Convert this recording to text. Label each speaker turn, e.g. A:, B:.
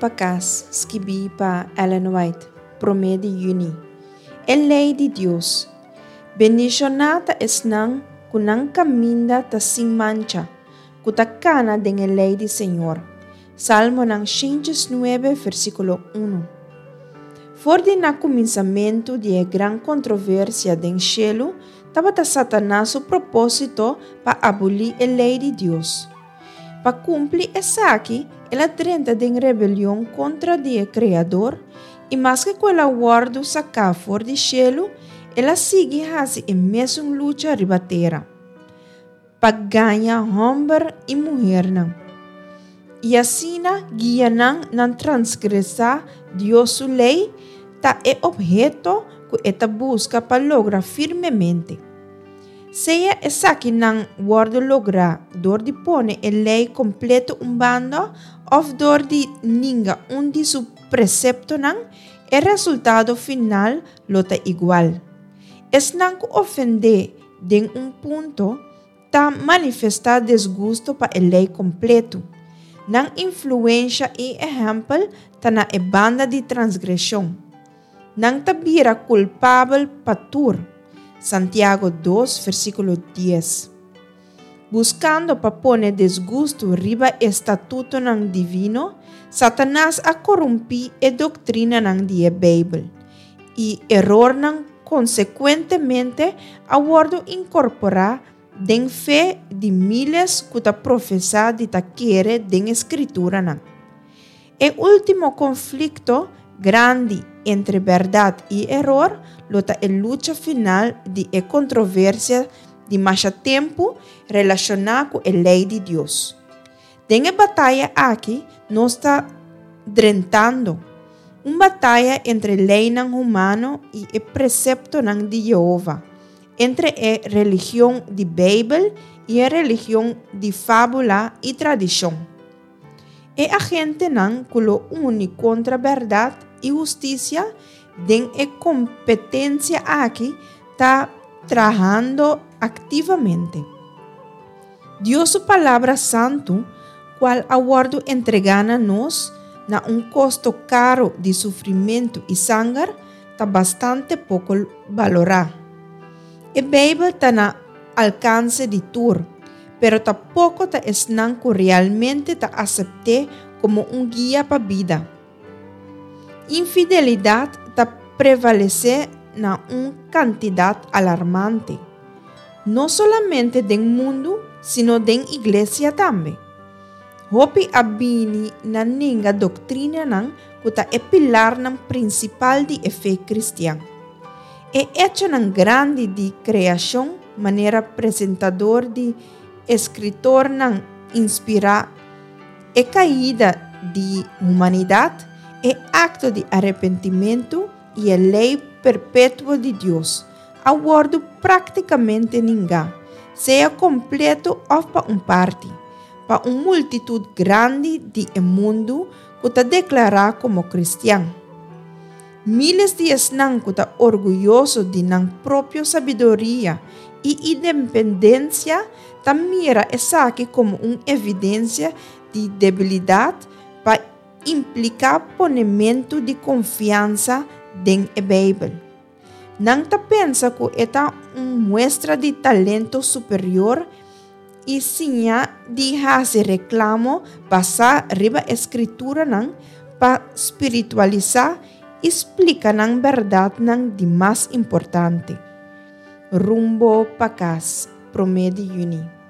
A: pa Kas, skibí pa Ellen White, promé di yüni. E Lei di Dios. Bendishoná ta esnan ku nan kaminda ta sin mancha, ku ta kana den e lei di Señor. Salmonan 109, versíkulo unu. For di na kuminsamentu di e gran kontroversia den shelu, tabata Satanas su propósito pa abolí e lei di Dios. Pa kumpli esaki, el a drenta den rebelion kontra di e Kreador, i maske ku el a wòrdu saká for di shelu, el a sigui hasi e mesun lucha riba tera, pa gaña hòmber i muhernan, i asina guia nan nan transgresá Dios su lei, ta e opheto ku e ta buska pa logra firmemente. Sea esakinan wòrdu lográ dor di pone e lei kompleto un banda òf dor di ninga un di su preseptonan, e resultado final lo ta igual. Esnan ku ofendé den un punto ta manifestá desgusto pa e lei kompleto. Nan influensha i ehèmpel ta na e banda di transgreshon. Nan ta bira kulpabel pa tur. Santiago dos, versíkulo dies. Buskando pa pone desgustu riba e statutonan divino, Satanas a korumpí e doktrinanan di e Beibel, i erornan konsekuentemente a wòrdu inkorporá den fe di míles ku ta profesá di ta kere den e Skrituranan. E último konflikto grandi entre bèrdat i eror lo ta e lucha final di e kontroversia di masha tempu relashoná ku e lei di Dios. Den e bataya aki nos ta drentando, un bataya entre leinan humano i e preseptonan di Yehova, entre e religion di Beibel i e religion di fábula i tradishon. E agentenan ku lo uni kontra bèrdat i hustisia den e kompetensia aki ta trahando aktivamente. Dios su Palabra Santu, kual a wòrdu entregá na nos na un kosto karu di sufrimentu i sanger, ta bastante poko balorá. E Beibel ta na alkanse di tur, pero ta poko ta esnan ku realmente ta asept'é komo un guia pa bida. Infidelidat ta prevalesé na un kantidat alarmante, no solamente den mundu sino den iglesia tambe. Hopi a bini na nenga doktrinanan ku ta e pilarnan prinsipal di e fe kristian. E echonan grandi di kreashon manera presentador di eskritornan inspirá, e kaida di humanidat, e akto di arepentimentu i e lei perpetuo di Dios, a wòrdu práktikamente ningá, sea kompleto òf pa un parti, pa un multitut grandi di e mundu ku ta deklará komo kristian. Miles di esnan ku ta orguyoso di nan propio sabiduria i independensia ta mira esaki komo un evidensia di debilidat pa impliká ponementu di konfiansa den e Beibel. Nan ta pensa ku e ta un muestra di talento superior i siña di hasi reklamo basá riba e Skrituranan pa spiritualisá i splika nan bèrdatnan di mas importante. Rumbo pa kas, promé di yüni.